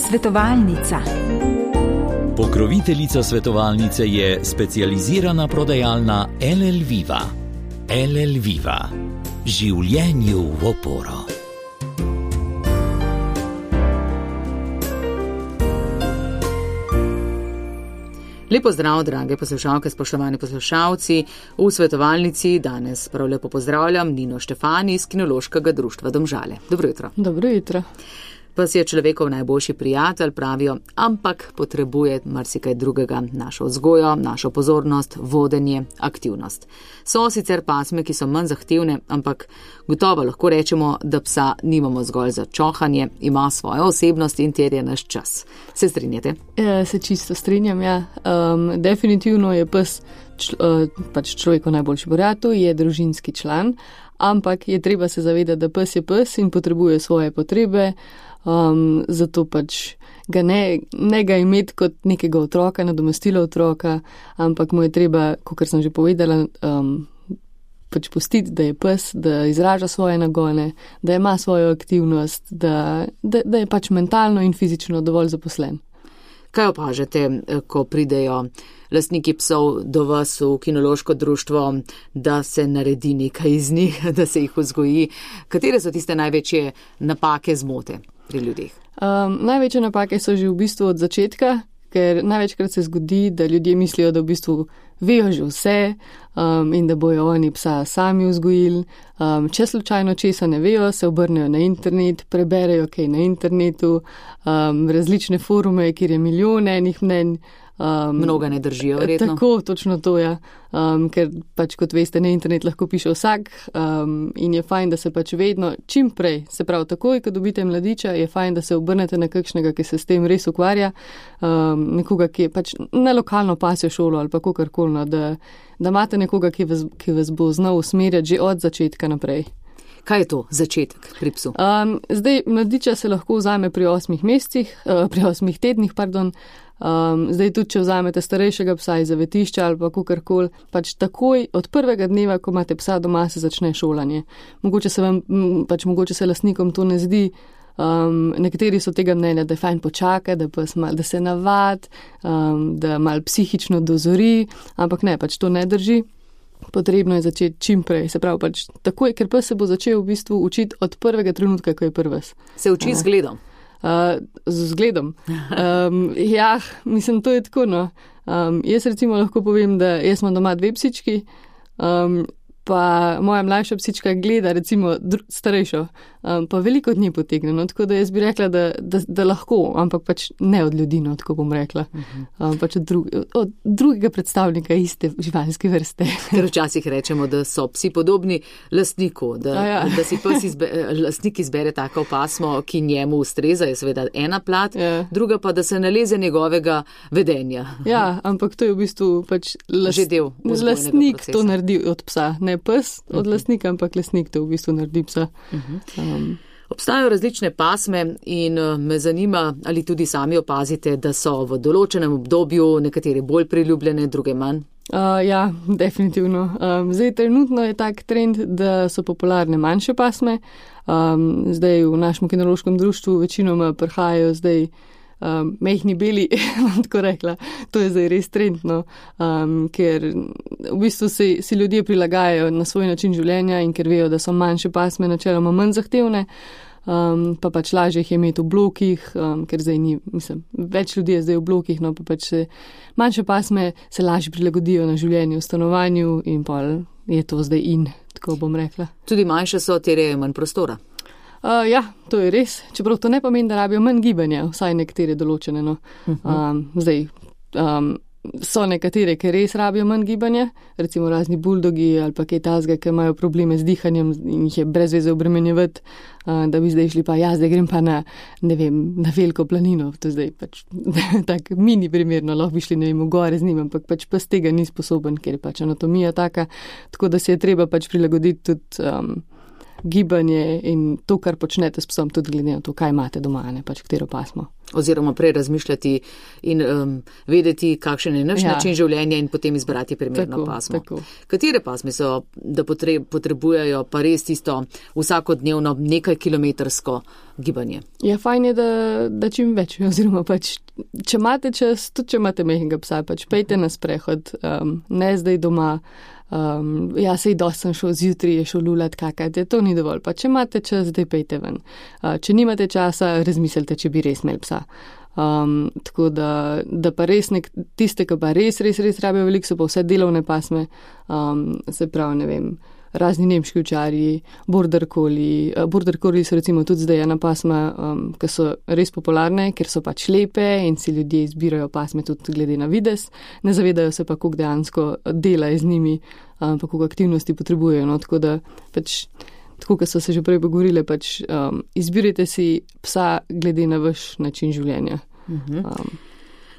Svetovalnica. Pokroviteljica svetovalnice je specializirana prodajalna LL Viva. LL Viva. Življenju v oporo. Lepo zdrav, drage poslušalke, spoštovani poslušalci. V svetovalnici danes prav lepo pozdravljam Nino Štefani iz Kinološkega društva Domžale. Dobro jutro. Dobro jutro. Pes je človekov najboljši prijatelj, pravijo, ampak potrebuje marsikaj drugega, našo vzgojo, našo pozornost, vodenje, aktivnost. So sicer pasme, ki so manj zahtevne, ampak gotovo lahko rečemo, da psa nimamo zgolj za čohanje, ima svojo osebnost in terja naš čas. Se strinjate? Se čisto strinjam, ja. Definitivno je pes človekov najboljši prijatelj, je družinski član, ampak je treba se zavedati, da pes je pes in potrebuje svoje potrebe. Zato pač ga ne ga imeti kot nekega otroka, nadomestila otroka, ampak mu je treba, kakor sem že povedala, pač pustiti, da je pes, da izraža svoje nagone, da ima svojo aktivnost, da je pač mentalno in fizično dovolj zaposlen. Kaj opažate, ko pridejo lastniki psov do vas v Kinološko društvo, da se naredi nekaj iz njih, da se jih vzgoji? Katere so tiste največje napake, zmote pri ljudeh? Največje napake so že v bistvu od začetka, ker največkrat se zgodi, da ljudje mislijo, da v bistvu vejo že vse in da bojo oni psa sami vzgojili. Če slučajno česa ne vejo, se obrnejo na internet, preberejo kaj na internetu, različne forume, kjer je milijon enih mnenj. Mnoga ne držijo, verjetno. Tako, točno to, ja. Ker pač, kot veste, na internet lahko piše vsak in je fajn, da se pač vedno čim prej, se pravi takoj, ko dobite mladiča, je fajn, da se obrnete na kakšnega, ki se s tem res ukvarja, nekoga, ki je pač na lokalno pasjo šolo ali pa kakorkoli, da imate nekoga, ki vas bo znal usmerjati že od začetka naprej. Kaj je to začetek pri psu? Zdaj, mladiča se lahko vzame pri 8 tednih, zdaj tudi, če vzamete starejšega psa iz zavetišča ali pa kakorkoli, pač takoj od prvega dneva, ko imate psa doma, se začne šolanje. Mogoče se lastnikom to ne zdi, nekateri so tega mnenja, da je fajn počakati, da se navad, da malo psihično dozori, ampak ne, pač to ne drži. Potrebno je začeti čim prej, se pravi pač takoj, ker pes se bo začel v bistvu učiti od prvega trenutka, ko je prves. Se uči z zgledom? Z zgledom. Ja, mislim, to je tako, no. Jaz recimo lahko povem, da jaz imam doma 2 psički, pa moja mlajša psička gleda recimo starejšo, pa veliko od nje potegne, no, tako da jaz bi rekla, da lahko, ampak pač ne od ljudi, no, tako bom rekla. Pač od drugega predstavnika iste živalske vrste. Ker včasih rečemo, da so psi podobni lastniku, da si lastnik izbere tako pasmo, ki njemu ustreza, je seveda ena plat, druga pa, da se naleze njegovega vedenja. Ja, ampak to je v bistvu pač lastnik to naredi od psa, ne pes od lastnika, ampak lastnik to v bistvu naredi psa. Obstajajo različne pasme in me zanima, ali tudi sami opazite, da so v določenem obdobju nekatere bolj priljubljene, druge manj? Ja, definitivno. Zdaj trenutno je tak trend, da so popularne manjše pasme. Zdaj v našem kinološkem društvu večinoma prihajajo zdaj mehni beli, tako rekla, to je zdaj res trendno, ker v bistvu si ljudje prilagajajo na svoj način življenja in ker vejo, da so manjše pasme načeloma manj zahtevne, pa pač lažje jih je imeti v blokih, ker zdaj več ljudi je zdaj v blokih, no pa pač manjše pasme se lažje prilagodijo na življenje v stanovanju in pa je to zdaj tako bom rekla. Tudi manjše so, terjajo manj prostora. Ja, to je res, čeprav to ne pomeni, da rabijo manj gibanja, vsaj nekatere določene. No. Zdaj, so nekatere, ki res rabijo manj gibanja, recimo razni buldogi ali pa kaj tazga, ki imajo probleme z dihanjem in jih je brez veze obremenjevati, da bi zdaj šli pa zdaj grem pa na veliko planino, to zdaj pač tak mini primerno, lahko bi šli v gore z njim, ampak pač pes tega ni sposoben, ker je pač anatomija taka, tako da se je treba pač prilagoditi tudi gibanje in to, kar počnete s psom, tudi glede na to, kaj imate doma, ne pač katero pasmo. Oziroma prej razmišljati in vedeti, kakšen je naš način življenja in potem izbrati primerno pasmo. Tako. Katere pasme so, da potrebujejo pa res tisto vsakodnevno nekaj kilometrsko gibanje? Ja, fajn je, da čim več, oziroma pač, če imate čas, tudi če imate majhnega psa, pač pejte na sprehod, ne zdaj doma. Sej dosti sem šel zjutraj, je šel lulat kakati, to ni dovolj, pa če imate čas, zdaj pejte ven. Če nimate časa, razmislite, če bi res imeli psa. Tako da pa res tiste, ki pa res rabijo veliko, so pa vse delovne pasme, se pravi, ne vem, razni nemški ovčarji, border collie so recimo tudi zdaj ena pasma, ki so res popularne, ker so pač lepe in si ljudje izbirajo pasme tudi glede na videz, ne zavedajo se pa, koliko dejansko dela z njimi, pa koliko aktivnosti potrebujejo, no, tako da pač, tako kot so se že prej pogovorile, pač izbirajte si psa glede na vaš način življenja.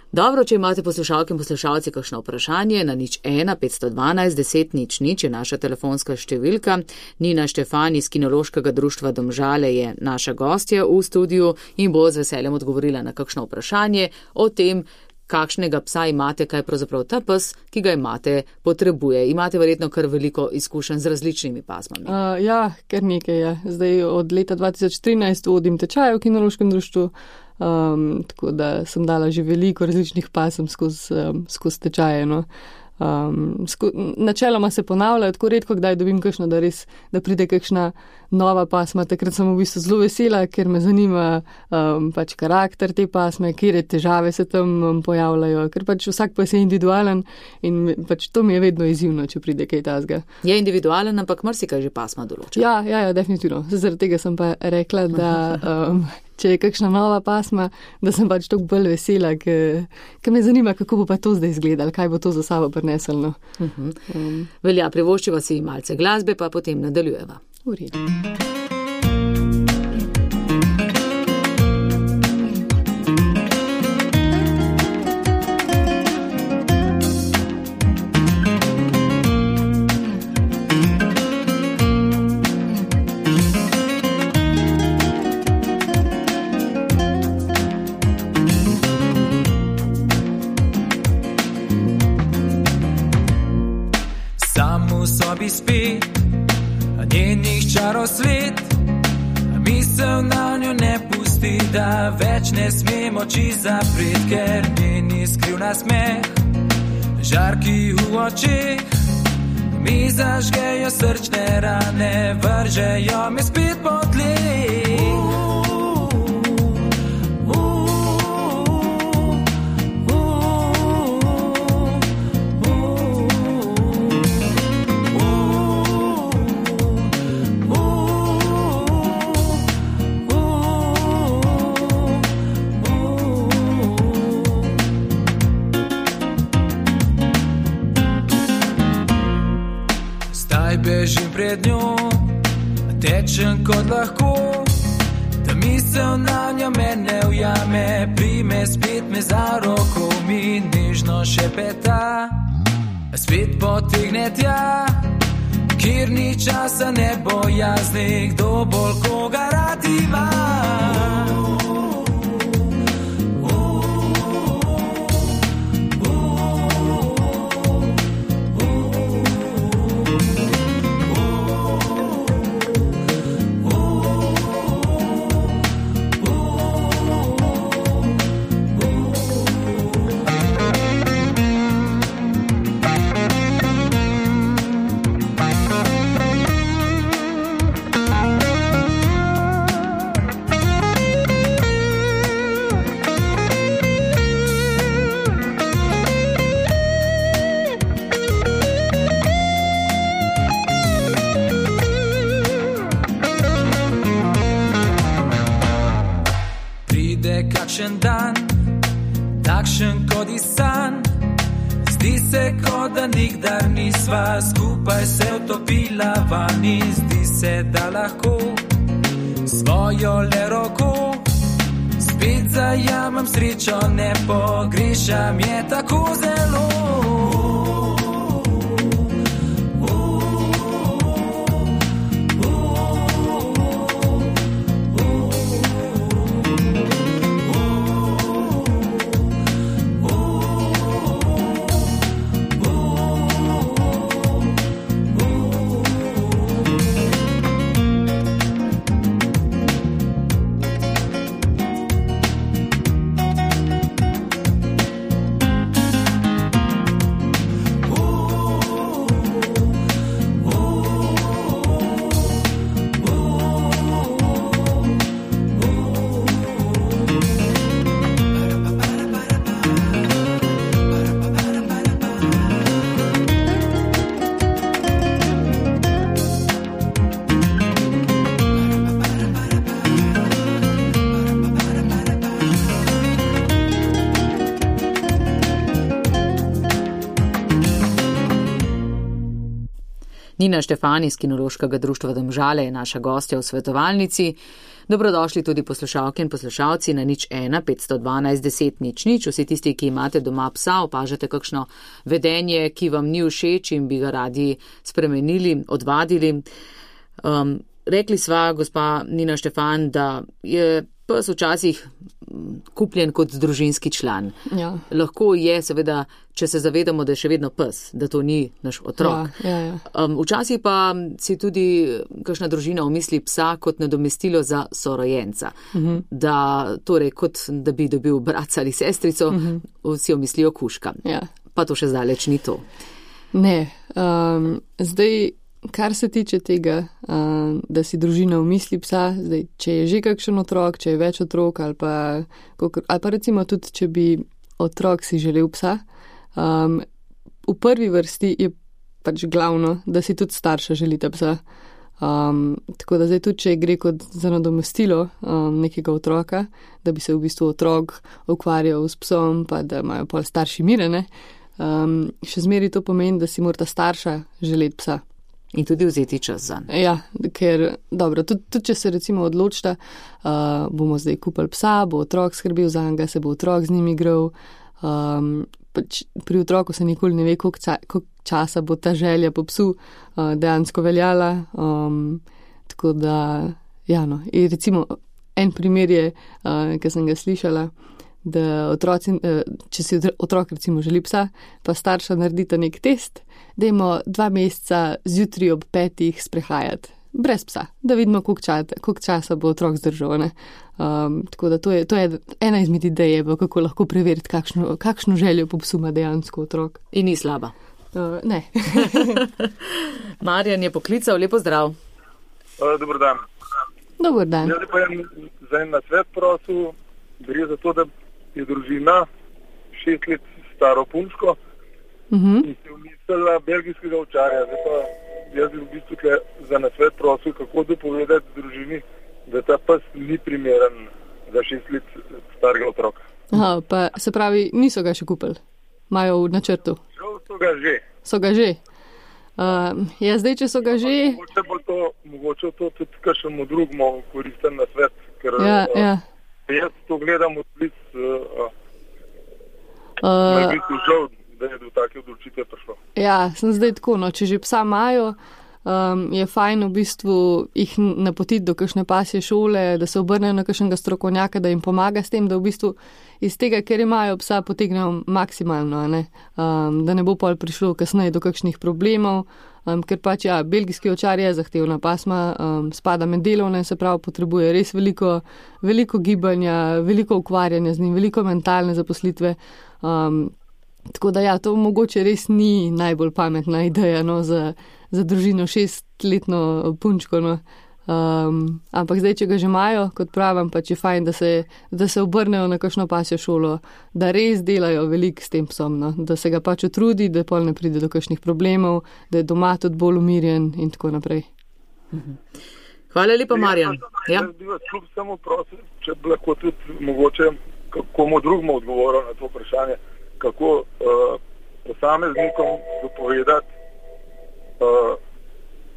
Dobro, če imate poslušalke in poslušalci kakšno vprašanje, na 01 512 10 00 je naša telefonska številka. Nina Štefan iz Kinološkega društva Domžale je naša gostja v studiu in bo z veseljem odgovorila na kakšno vprašanje o tem, kakšnega psa imate, kaj pravzaprav ta pes, ki ga imate, potrebuje. Imate verjetno kar veliko izkušenj z različnimi pasmami. Kar nekaj je. Zdaj od leta 2013 vodim tečaje v Kinološkem društvu, tako da sem dala že veliko različnih pasem skozi tečaje. No. Načeloma se ponavljajo, tako redko kdaj dobim kakšno, da pride kakšna nova pasma. Takrat sem v bistvu zelo vesela, ker me zanima pač karakter te pasme, kjer težave se tam pojavljajo, ker pač vsak pas je individualen in pač to mi je vedno izzivno, če pride kaj tazga. Je individualen, ampak marsikaj že pasma določa. Ja, definitivno. Zaradi tega sem pa rekla, da če je kakšna nova pasma, da sem pač toliko bolj vesela, ker me zanima, kako bo pa to zdaj izgledalo, kaj bo to za sabo prineslo. Velja, privoščiva si malce glasbe, pa potem nadaljujeva. V redu. Spi, a njenih čarov svet, a misel na njo ne pusti, da več ne smemo oči zapret, ker njeni skrivna smeh, žarki v očeh, mi zažgejo srčne rane, vržejo mi spet po tleh. Bežim pred njo, tečem kot lahko, da misel na njo mene ujame, prime spet me za roko, mi nežno šepeta, spet potegne tja, kjer ni časa ne bojazni, kdo bolj koga rad ima. Dan, takšen kot iz san, zdi se, kot da nikdar nisva skupaj se utopila vani, zdi se, da lahko svojo le roko spet zajamem srečo, ne pogrešam je tako zelo. Nina Štefan iz Kinološkega društva Domžale je naša gostja v svetovalnici. Dobrodošli tudi poslušalke in poslušalci na 01 512 10 00. Vsi tisti, ki imate doma psa, opažate kakšno vedenje, ki vam ni všeč in bi ga radi spremenili, odvadili. Rekli sva, gospa Nina Štefan, da je pes včasih kupljen kot družinski član. Ja. Lahko je, seveda, če se zavedamo, da je še vedno pes, da to ni naš otrok. Ja. Včasih pa si tudi kakšna družina omisli psa kot nadomestilo za sorojenca. Da, torej, kot da bi dobil bratca ali sestrico, vsi omislijo kužka. Ja. Pa to še zdaleč ni to. Ne. Zdaj, kar se tiče tega, da si družina omisli psa, zdaj, če je že kakšen otrok, če je več otrok ali pa recimo tudi, če bi otrok si želel psa, v prvi vrsti je pač glavno, da si tudi starša želite psa. Tako da zdaj tudi, če gre kot za nadomestilo nekega otroka, da bi se v bistvu otrok ukvarjal s psom, pa da imajo pol starši mirene, še zmeri to pomeni, da si morata starša želeti psa. In tudi vzeti čas zanj. Ja, ker, dobro, tudi če se recimo odločita, bomo zdaj kupili psa, bo otrok skrbel za njega, se bo otrok z njim igral. Pri otroku se nikoli ne ve, koliko časa bo ta želja po psu dejansko veljala. Tako da, ja, no. In recimo, en primer je, ki sem ga slišala, da otroci, če si otrok recimo želi psa, pa starša naredita nek test, dajmo 2 meseca zjutraj ob 5 sprehajati, brez psa, da vidimo, koliko časa bo otrok zdržal. Tako da to je ena izmed idej, kako lahko preveriti, kakšno željo po psu ima dejansko otrok. In ni slaba. Ne. Marjan je poklical, lepo zdrav. Dobar dan. Dobar dan. Jaz pa za en nasvet prosil, gre za to, da je družina 6 let staro punčko in se umislila belgijskega ovčarja. Zdaj pa jaz bi v bistvu za nasvet prosil, kako dopovedati družini, da ta pes ni primeren za 6 let starega otroka. Aha, pa se pravi, niso ga še kupili? Imajo v načrtu? So ga že. So ga že? Ja, zdaj, če so ga že... Mogoče to tudi kakšnemu drugemu koristen nasvet, ker... Ja. Jaz to gledam od blic, me je biti žal, da je do take odločitve prišlo. Ja, sem zdaj tako, no, če že psa imajo, je fajn v bistvu jih napotiti do kakšne pasje šole, da se obrnejo na kakšnega strokovnjaka, da jim pomaga s tem, da v bistvu iz tega, ker imajo psa, potegnejo maksimalno, da ne bo pol prišlo kasneje do kakšnih problemov, ker pač, ja, belgijski ovčar je zahtevna pasma, spada med delovne, se pravi, potrebuje res veliko gibanja, veliko ukvarjanja z njim, veliko mentalne zaposlitve. Tako da, ja, to mogoče res ni najbolj pametna ideja, no, za družino 6-letno punčko, no. Ampak zdaj, če ga že imajo, kot pravim, pač je fajn, da se obrnejo na kakšno pasjo šolo, da res delajo veliko s tem psom, no? Da se ga pač utrudi, da pol ne pride do kakšnih problemov, da je doma tudi bolj umirjen in tako naprej. Hvala lepa, Marjan. Jaz bi vas kljub samo prosil, če bi lahko tudi mogoče komu drugemu odgovoril na to vprašanje, kako posameznikom dopovedati,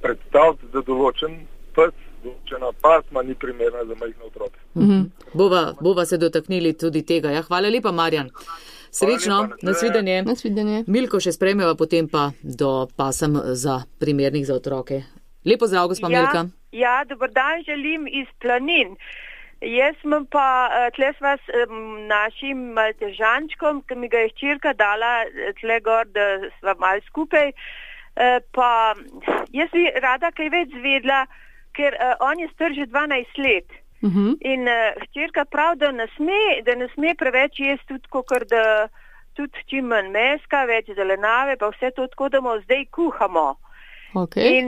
predstaviti, da določen pes, določena pasma ni primerna za majhne otroke. Bova se dotaknili tudi tega. Ja, hvala lepa, Marjan. Srečno, nasvidenje. Milko še spremljava, potem pa do pasem za primernih za otroke. Lepo zdrav, gospa Milka. Ja, dober dan želim iz Planin. Jaz sem pa tle s vas našim maltežančkom, ki mi ga je hčerka dala tle gor, da sva malo skupaj. Pa jaz bi rada kaj več zvedla, ker on je star že 12 let. In hčerka prav, da ne sme preveč jesti tudi, kakor da tudi čim manj meska, več zelenave, pa vse to tako, da mu zdaj kuhamo. Okay. In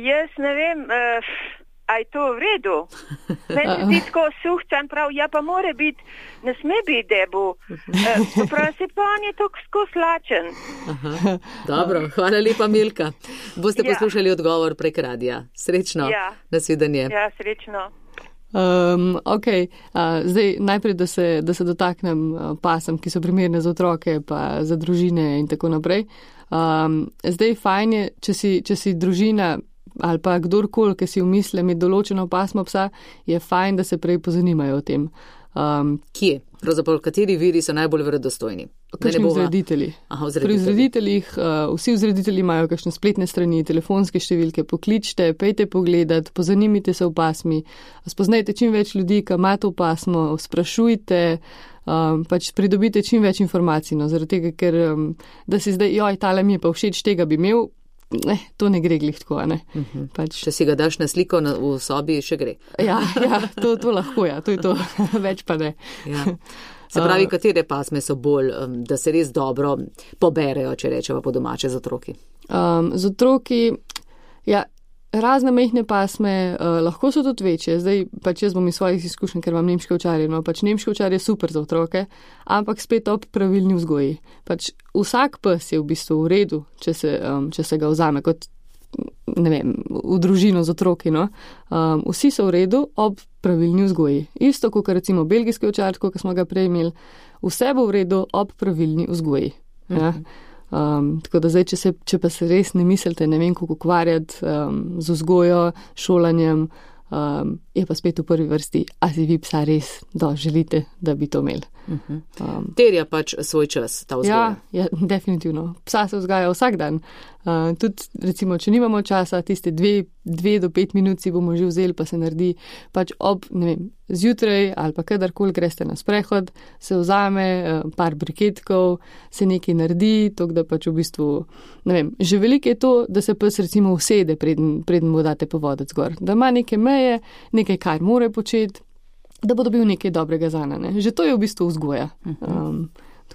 jaz ne vem, a je to v redu? Meni se zdi tako suhcan, prav, ja pa more biti, ne sme biti debu. Prav se pa on je tako slačen. Dobro, hvala lepa, Milka. Boste poslušali odgovor prek radija. Srečno, nasvidenje. Ja, srečno. Zdaj najprej, da se dotaknem pasem, ki so primerne za otroke, pa za družine in tako naprej. Zdaj fajn je, če si družina ali pa kdorkoli, ki si umisle imeti določeno pasmo psa, je fajn, da se prej pozanimajo o tem. Kje? Pravzaprav, kateri viri so najbolj verodostojni? Kakšni vzreditelji. Pri vzrediteljih, vsi vzreditelji imajo kakšne spletne strani, telefonske številke, pokličte, pejte pogledat, pozanimite se v pasmi, spoznajte čim več ljudi, ki ima to pasmo, sprašujte, pač pridobite čim več informacij, no, zaradi tega, ker da si zdaj, tale mi je pa všeč, tega bi imel, to ne gre glih tako, ne. Pač... Če si ga daš na sliko v sobi, še gre. Ja, to lahko, to je to, več pa ne. Ja. Se pravi, katere pasme so bolj, da se res dobro poberejo, če rečeva po domače, z otroki? Z otroki, razne mehne pasme, lahko so tudi večje. Zdaj pač jaz bom iz svojih izkušenj, ker imam nemške ovčarje, no pač nemške ovčarje je super za otroke, ampak spet ob pravilni vzgoji. Pač vsak pes je v bistvu v redu, če se ga vzame kot, ne vem, v družino z otroki, no. Vsi so v redu ob pravilni vzgoji. Isto, kot recimo belgijski ovčar, kot smo ga prej imeli, vse bo v redu ob pravilni vzgoji. Ja. Tako da zdaj, če pa se res ne mislite, ne vem, kako ukvarjati z vzgojo, šolanjem, je pa spet v prvi vrsti, a si vi psa res želite, da bi to imeli. Terja pač svoj čas, ta vzgoja. Ja, definitivno. Psa se vzgaja vsak dan. Tudi, recimo, če nimamo časa, tiste 2 do 5 minut si bomo že vzeli, pa se naredi pač ob, ne vem, zjutraj ali pa kadarkoli greste na sprehod, se vzame par briketkov, se nekaj naredi, tako da pač v bistvu, ne vem, že veliko je to, da se pes recimo usede, preden mu date povodec gor, da ima neke meje, nekaj, kar more početi, da bo dobil nekaj dobrega zana, ne. Že to je v bistvu vzgoja.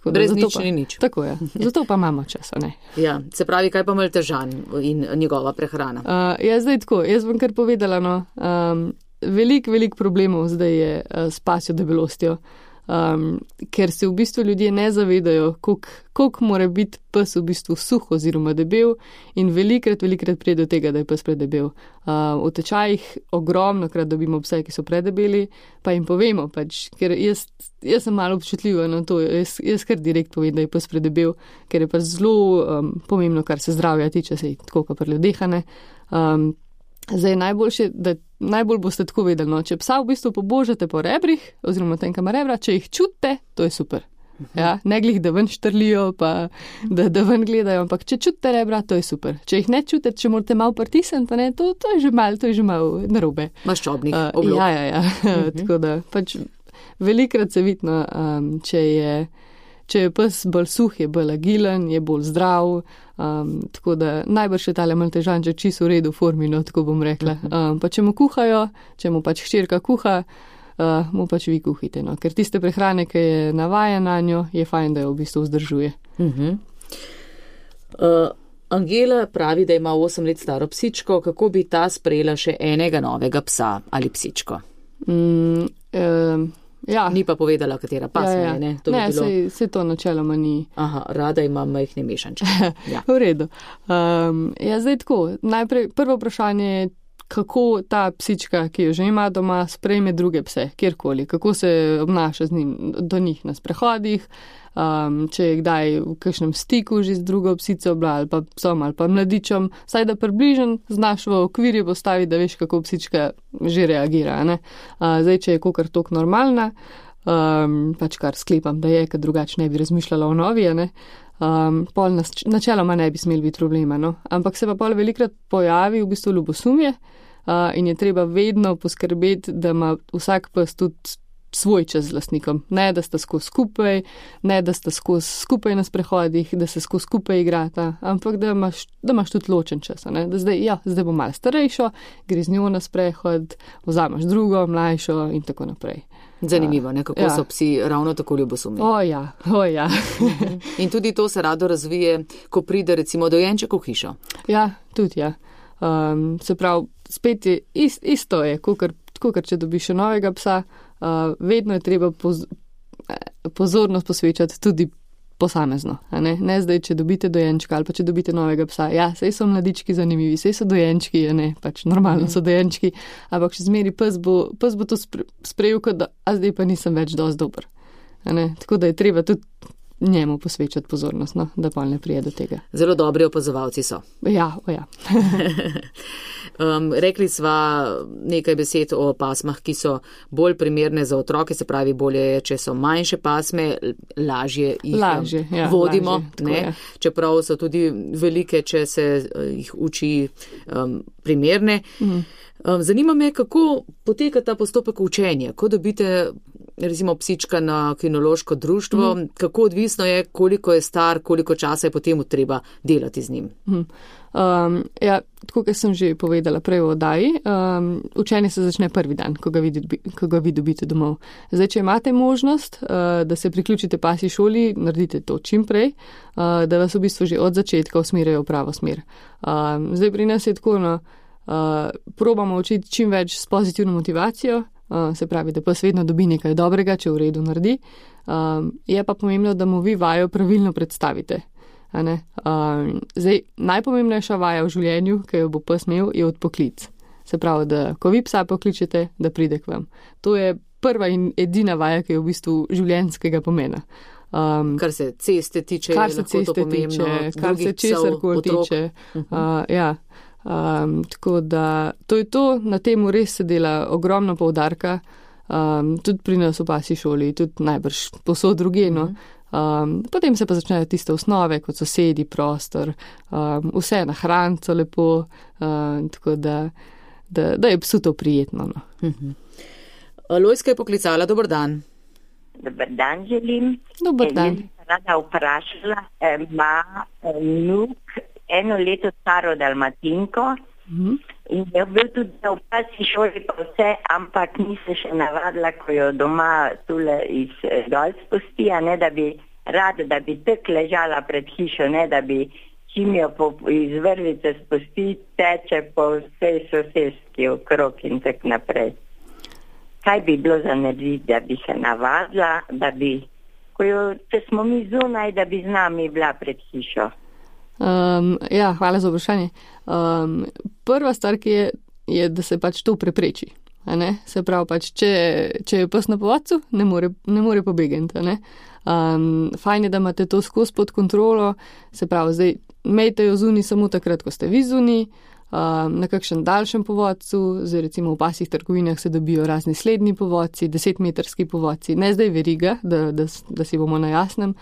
Brez nič ni nič. Tako je. Zato pa imamo čas, ne. Ja, se pravi, kaj pa Maltežan in njegova prehrana? Zdaj tako, jaz bom kar povedala, no, veliko problemov zdaj je s pasjo debelostjo, ker se v bistvu ljudje ne zavedajo, koliko mora biti pes v bistvu suh oziroma debel in velikrat pride do tega, da je pes predebel. V tečajih ogromnokrat dobimo pse, ki so predebeli, pa jim povemo, pač, ker jaz sem malo občutljiva na to, jaz kar direkt povem, da je pes predebel, ker je pač zelo pomembno, kar se zdravja tiče, se tako kot pri ljudeh, ne. Zdaj najbolj boste tako vedeli, no, če psa v bistvu pobožate po rebrih, oziroma tem, kam rebra, če jih čutite, to je super. Ja, ne glih, da ven štrlijo, pa da ven gledajo, ampak če čutite rebra, to je super. Če jih ne čutite, če morate malo pritisniti, ne, to je že malo narobe. Maščobnih oblog. Ja. Tako da, pač velikrat se vidno, če je pes bolj suh, je bolj agilen, je bolj zdrav, tako da najbrž je tale Maltežan že čisto v redu v formi, no, tako bom rekla. Pa če mu kuhajo, če mu pač hčerka kuha, mu pač vi kuhite, no, ker tiste prehrane, ki je navajen na njo, je fajn, da jo v bistvu vzdržuje. Angela pravi, da ima 8 let staro psičko, kako bi ta sprejela še enega novega psa ali psičko? Ja. Ni pa povedala, katera pasma je, ne? To ne, se to načeloma ni. Aha, rada imam majhne mešanče. Ja. V redu. Zdaj tako, najprej prvo vprašanje je, kako ta psička, ki jo že ima doma, sprejme druge pse, kjerkoli, kako se obnaša do njih na sprehodih, če je kdaj v kakšnem stiku že z drugo psico ali pa psom ali pa mladičom, saj da približen znaš v okvirju postaviti, da veš, kako psička že reagira, ne. Zdaj, če je kakor tok normalna, pač kar sklepam, da je, ker drugače ne bi razmišljala o novi, ne. Pol načeloma ne bi smeli biti problema, no. Ampak se pa pol velikrat pojavi v bistvu ljubosumje in je treba vedno poskrbeti, da ima vsak pes tudi svoj čas z lastnikom. Ne, da sta skozi skupaj, ne, da sta skozi skupaj na sprehodih, da se skozi skupaj igrata, ampak da imaš tudi ločen čas, ne. Da zdaj bo malo starejšo, gre z njo na sprehod, vzameš drugo, mlajšo in tako naprej. Zanimivo, ne, kako so psi ravno tako ljubosumni. O ja. In tudi to se rado razvije, ko pride recimo dojenček v hišo. Ja, tudi ja. Se pravi, spet je isto je, kakor če dobiš še novega psa, vedno je treba pozornost posvečati tudi posamezno. Ne zdaj, če dobite dojenčka ali pa če dobite novega psa. Ja, sej so mladički zanimivi, sej so dojenčki, pač normalno so dojenčki, ampak še zmeri pes bo to sprejel, kot da, a zdaj pa nisem več dosti dober. Tako da je treba tudi njemu posvečati pozornost, no, da pa ne prije do tega. Zelo dobri opazovalci so. Ja. Rekli sva nekaj besed o pasmah, ki so bolj primerne za otroke, se pravi, bolje je, če so manjše pasme, lažje jih vodimo, lažje, čeprav so tudi velike, če se jih uči primerne. Zanima me, kako poteka ta postopek učenja, ko dobite recimo psička na kinološko društvo, kako odvisno je, koliko je star, koliko časa je potem treba delati z njim. Ja, tako kot sem že povedala prej v oddaji, učenje se začne prvi dan, ko ga vi dobite domov. Zdaj, če imate možnost, da se priključite pasji šoli, naredite to čim prej, da vas v bistvu že od začetka usmerjajo v pravo smer. Zdaj pri nas je tako, probamo učiti čim več s pozitivno motivacijo, se pravi, da pes vedno dobi nekaj dobrega, če v redu naredi. Je pa pomembno, da mu vi vajo pravilno predstavite. Zdaj, najpomembnejša vaja v življenju, ki jo bo pes imel, je odpoklic. Se pravi, da ko vi psa pokličete, da pride k vam. To je prva in edina vaja, ki je v bistvu življenjskega pomena. Kar se ceste tiče, kar se česarkoli tiče. Ja. Tako da to je to, na temu res se dela ogromno poudarka, tudi pri nas v pasji šoli, tudi najbrž posod drugeno. Potem se pa začnejo tiste osnove, kot so sedi, prostor, vse na hranco lepo, tako da je psu to prijetno. No. Lojska je poklicala, dober dan. Dober dan želim. Dober dan. Rada vprašala, ima vnuk 1 leto staro dalmatinko in je bil tudi v pasji šoli pa vse, ampak ni se še navadila, ko jo doma tule iz dol spusti, da bi rada, da bi tak ležala pred hišo, da bi čim jo iz vrvice spusti, teče po vsej soseski okrog in tak naprej. Kaj bi bilo za narediti, da bi se navadila, da bi, če smo mi zunaj, da bi z nami bila pred hišo? Ja, hvala za vprašanje. Prva stvar, ki je, da se pač to prepreči. Se pravi, pač, če je pes na povodcu, ne more pobegati. Fajn je, da imate to skozi pod kontrolo, se pravi, zdaj imejte jo zunaj samo takrat, ko ste vi zunaj, na kakšen daljšem povodcu, zdaj recimo v pasjih trgovinah se dobijo razni slednji povodci, 10-metrski povodci, ne zdaj veriga, da si bomo na jasnem,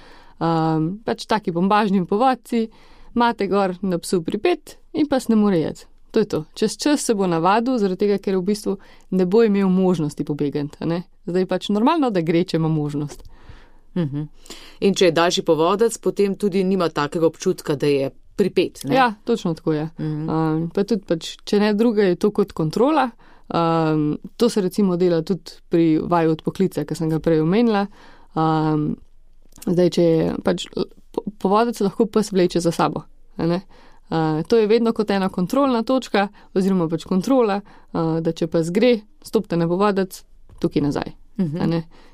pač taki bombažni povodci, imate gor na psu pripet in pas ne more jeti. To je to. Čez čas se bo navadil, zaradi tega, ker v bistvu ne bo imel možnosti pobegati. Zdaj je pač normalno, da gre, če ima možnost. In če je daljši povodec, potem tudi nima takega občutka, da je pripet. Ne? Ja, točno tako je. Pa tudi pač, če ne druga, je to kot kontrola. To se recimo dela tudi pri vaju odpoklica, ki sem ga prej omenila. Zdaj, če je pač povodec lahko pes vleče za sabo. To je vedno kot ena kontrolna točka oziroma pač kontrola, da če pes gre, stopite na povodec, tukaj nazaj.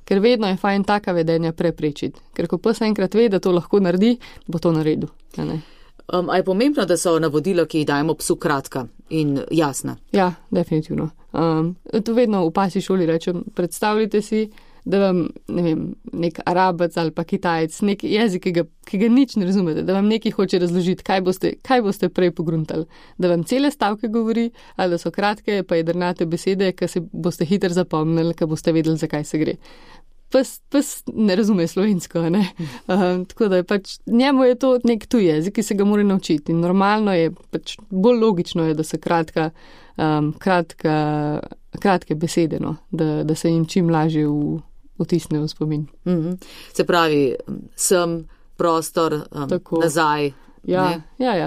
Ker vedno je fajn taka vedenja preprečiti. Ker ko pes enkrat ve, da to lahko naredi, bo to naredil. A je pomembno, da so navodila, ki jih dajemo psu, kratka in jasna? Ja, definitivno. To vedno v pasji šoli rečem, predstavljite si, da vam, ne vem, nek Arabec ali pa Kitajec, nek jezik, ki ga nič ne razumete, da vam nekaj hoče razložiti, kaj boste prej pogruntali. Da vam cele stavke govori, ali da so kratke, pa jedrnate besede, ki se boste hitro zapomnili, ki boste vedeli, zakaj se gre. Pes ne razume slovensko, ne? Tako da je pač, njemu je to nek tuj jezik, ki se ga mora naučiti. In normalno je, pač bolj logično je, da so kratke besede, no? Da se jim čim lažje vtisne v spomin. Se pravi, sem, prostor, nazaj. Ja,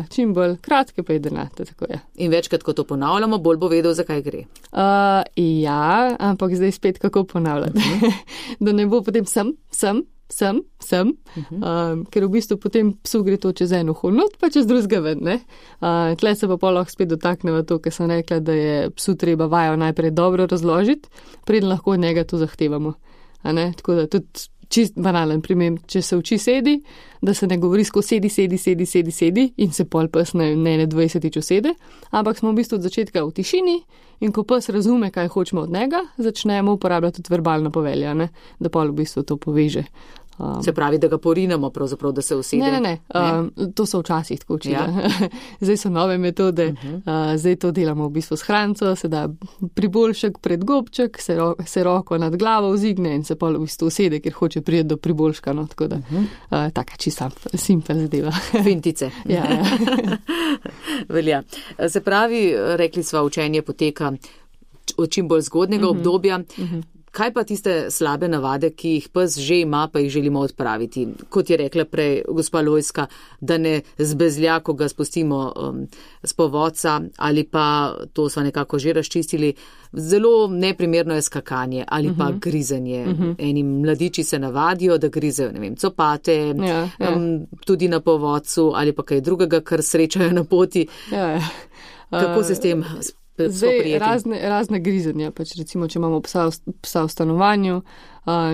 čim bolj kratke pa jedrnate, tako je. In večkrat, ko to ponavljamo, bolj bo vedel, zakaj gre. Ja, ampak zdaj spet kako ponavljati. Da ne bo potem sem, ker v bistvu potem psu gre to čez eno holnot, pa čez drugega ven, ne. Tle se pa lahko spet dotakneva to, ker sem rekla, da je psu treba vajo najprej dobro razložiti, preden lahko od njega to zahtevamo. Tako da tudi, čist banalen primer, če se uči sedi, da se ne govori skozi sedi in se pol pes ne 20 usede, ampak smo v bistvu od začetka v tišini in ko pes razume, kaj hočemo od njega, začnemo uporabljati tudi verbalno povelja, ne, da pol v bistvu to poveže. Se pravi, da ga porinamo pravzaprav, da se usede? Ne. To so včasih tako učili. Ja. Zdaj so nove metode, zdaj to delamo v bistvu s hranco, se da priboljšek pred gobček, se roko nad glavo vzigne in se pol v bistvu usede, ker hoče priti do priboljška, no, tako da taka čisto simpel zadeva. Fintice. Ja. Velja. Se pravi, rekli sva, učenje poteka od čim bolj zgodnega obdobja. Kaj pa tiste slabe navade, ki jih pes že ima, pa jih želimo odpraviti? Kot je rekla prej gospa Lojska, da ne zbezlja, ko ga spustimo z povodca, ali pa, to sva nekako že razčistili, zelo neprimerno je skakanje ali pa grizenje. Eni mladiči se navadijo, da grizejo, ne vem, copate, tudi na povodcu ali pa kaj drugega, kar srečajo na poti. Kako se s tem Zdaj, razne grizenja, pač recimo, če imamo psa v stanovanju,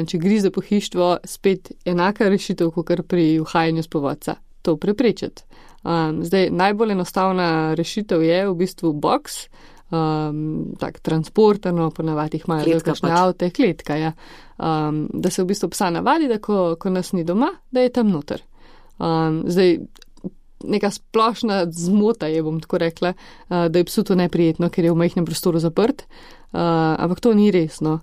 če grize pohištvo, spet enaka rešitev, kot pri uhajanju s povodca. To preprečiti. Zdaj, najbolj enostavna rešitev je v bistvu boks, tak transportano, ponavadi imajo velikašne avte, kletka, ja. Da se v bistvu psa navadi, da ko nas ni doma, da je tam noter. Zdaj, neka splošna zmota je, bom tako rekla, da je psu to neprijetno, ker je v majhnem prostoru zaprt, ampak to ni resno.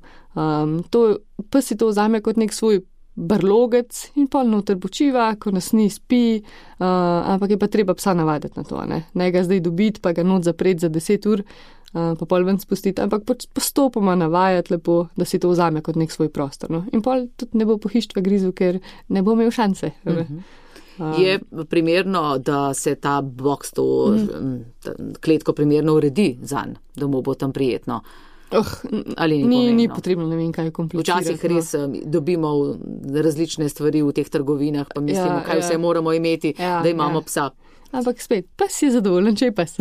Pes si to vzame kot nek svoj brlogec in pol noter počiva, ko nas ni spi, ampak je pa treba psa navaditi na to, ne ga zdaj dobiti, pa ga not zapreti za 10 ur, pa pol ven spustiti, ampak postopoma navajati lepo, da si to vzame kot nek svoj prostor. No? In pol tudi ne bo pohištva grizel, ker ne bo imel šanse. Je primerno, da se ta boks, to kletko primerno uredi zanj, da mu bo tam prijetno? Ali ni potrebno, ne vem, kaj je komplicirati. Včasih res dobimo različne stvari v teh trgovinah, pa mislimo, kaj vse moramo imeti, da imamo psa. Ampak spet, pes je zadovoljen, če je pes.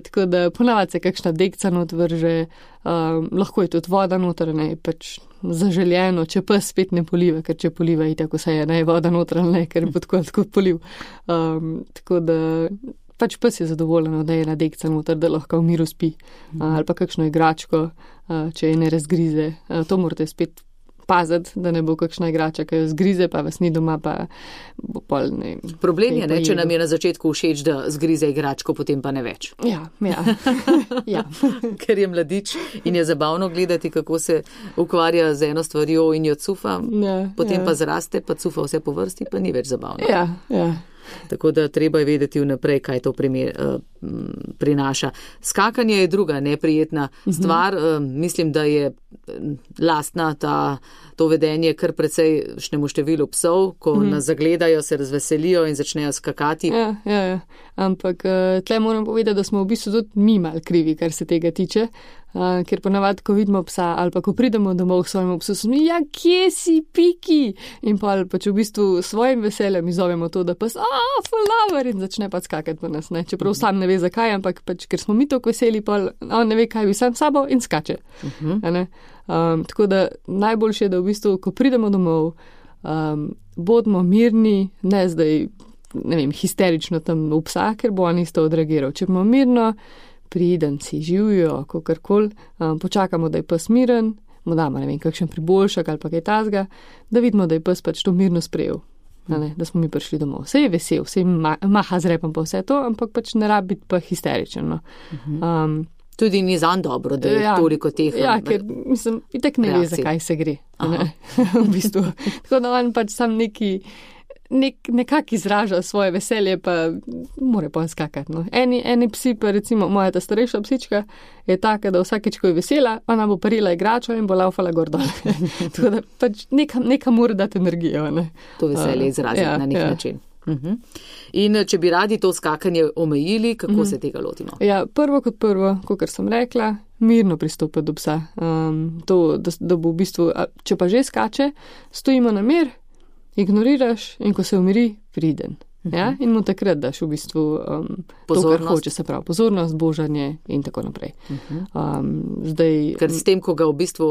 Tako da ponavadi se kakšna dekca not vrže, lahko je tudi voda noter, ne, pač zaželjeno, če pes spet ne poliva, ker če poliva i tako se je, ne, voda noter, ne, ker je tako poliv. Tako da pač pes je zadovoljen, da je ena dekca noter, da lahko v miru spi, ali pa kakšno igračko, če je ne razgrize. To morate spet paziti, da ne bo kakšna igrača, ki jo zgrize, pa vas ni doma, pa bo pol, ne. Problem je, ne, če nam je na začetku všeč, da zgrize igračko, potem pa ne več. Ja. Ker je mladič in je zabavno gledati, kako se ukvarja z eno stvarjo in jo cufa, potem pa zraste, pa cufa vse po vrsti, pa ni več zabavno. Ja. Tako da treba je vedeti vnaprej, kaj to prinaša. Skakanje je druga neprijetna stvar. Mislim, da je lastna to vedenje kar precej šnemu številu psov, ko nas zagledajo, se razveselijo in začnejo skakati. Ja. Ampak tle moram povedati, da smo v bistvu tudi mi mal krivi, kar se tega tiče. Ker ponavadi, ko vidimo psa ali pa ko pridemo domov k svojemu psu, smo ja, kje si, Piki? In pa pač v bistvu svojim veseljem izovemo to, da pes, fulaver, in začne pa skakati po nas, ne? Čeprav sam ne ve zakaj, ampak pač, ker smo mi toliko veseli, pa on ne ve, kaj bi sam sabo in skače. Tako da najboljše je, da v bistvu, ko pridemo domov, bodimo mirni, ne zdaj, ne vem, histerično tam v psa, ker bo on isto odreagiral. Če bomo mirno, priden si, živijo, kakorkoli, počakamo, da je pes miren, mu damo, ne vem, kakšen priboljšak ali pa kaj tazga, da vidimo, da je pes pač to mirno sprejel, da smo mi prišli domov. Vse je vesel, vse maha z repom pa vse to, ampak pač ne rabi biti pa histeričen. Tudi ni zanj dobro, da je toliko teh. Ja, ker mislim, itak ne ve, zakaj se gre. V bistvu. Tako da on pač sam nekako izraža svoje veselje, pa mora pa skakati. No. Eni psi, pa recimo moja ta starejša psička, je taka, da vsakeč, ko je vesela, ona bo parila igračo in bo laufala gor dol. Tako da pač neka mora dati energijo. Ne. To veselje izraziti na nek način. In če bi radi to skakanje omejili, kako se tega lotimo? Ja, prvo, kot sem rekla, mirno pristopiti do psa. Da bo v bistvu, če pa že skače, stojimo na mir, ignoriraš in ko se umiri, priden. Ja, in mu takrat daš v bistvu to, kar hoče, se pravi pozornost, božanje in tako naprej. Zdaj, ker s tem, ko ga v bistvu,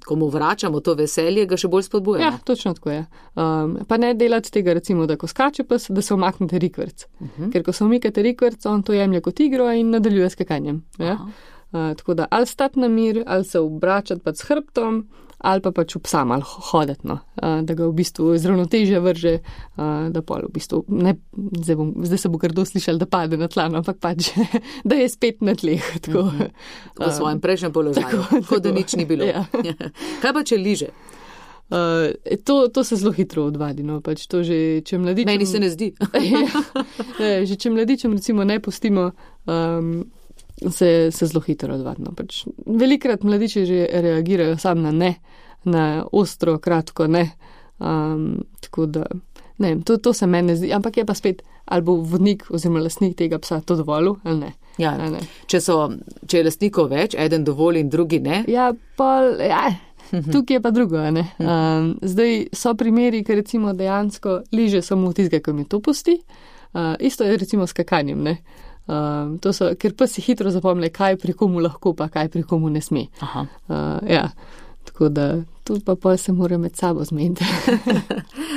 ko mu vračamo to veselje, ga še bolj spodbujamo. Ja, točno tako je. Pa ne delati tega, recimo, da ko skače pes, da se omaknete rikverc. Ker ko se omikate rikverc, on to jemlje kot igro in nadaljuje s skakanjem. Ja? Tako da ali stati na mir, ali se obračati pa s hrbtom, ali pa pač v psam, ali hoditi, no. Da ga v bistvu z ravnotežja vrže, da pol v bistvu, ne, zdaj se bo kdo slišal, da pade na tla, ampak pač, da je spet na tleh. Tako. V svojem prejšnjem položaju, kot da nič ni bilo. Ja. Kaj pa, če liže? To se zelo hitro odvadi, no, pač to že, če mladičem... Meni se ne zdi. Že če mladičem recimo ne pustimo, se zelo hitro odvadno. Pač velikrat mladiči že reagirajo sam na ne, na ostro, kratko ne. Tako da, ne, to se meni zdi, ampak je pa spet, ali bo vodnik oziroma lastnik tega psa to dovolil, ali ne. Ja, ne. Če je lastnikov več, eden dovoli in drugi ne. Ja, tukaj je pa drugo, ne. Zdaj so primeri, ker recimo dejansko liže samo tistega, ko mi to pusti. Isto je recimo s skakanjem, ne. Ker pa si hitro zapomne, kaj pri komu lahko, pa kaj pri komu ne sme. Ja, tako da tu pa se mora med sabo zmeniti.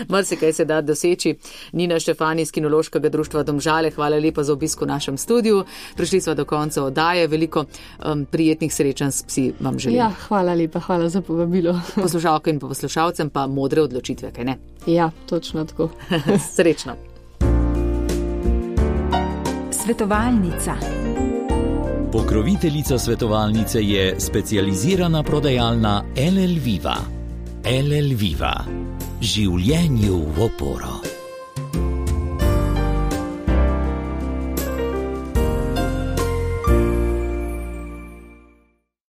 Marsikaj se da doseči. Nina Štefani iz Kinološkega društva Domžale, hvala lepa za obisk v našem studiu. Prišli smo do konca oddaje, veliko prijetnih srečanj s psi vam želim. Ja, hvala lepa, hvala za povabilo. Poslušalkam in poslušalcem pa modre odločitve, kaj ne? Ja, točno tako. Srečno. Svetovalnica. Pokroviteljica svetovalnice je specializirana prodajalna LL Viva. LL Viva. Življenju v oporo.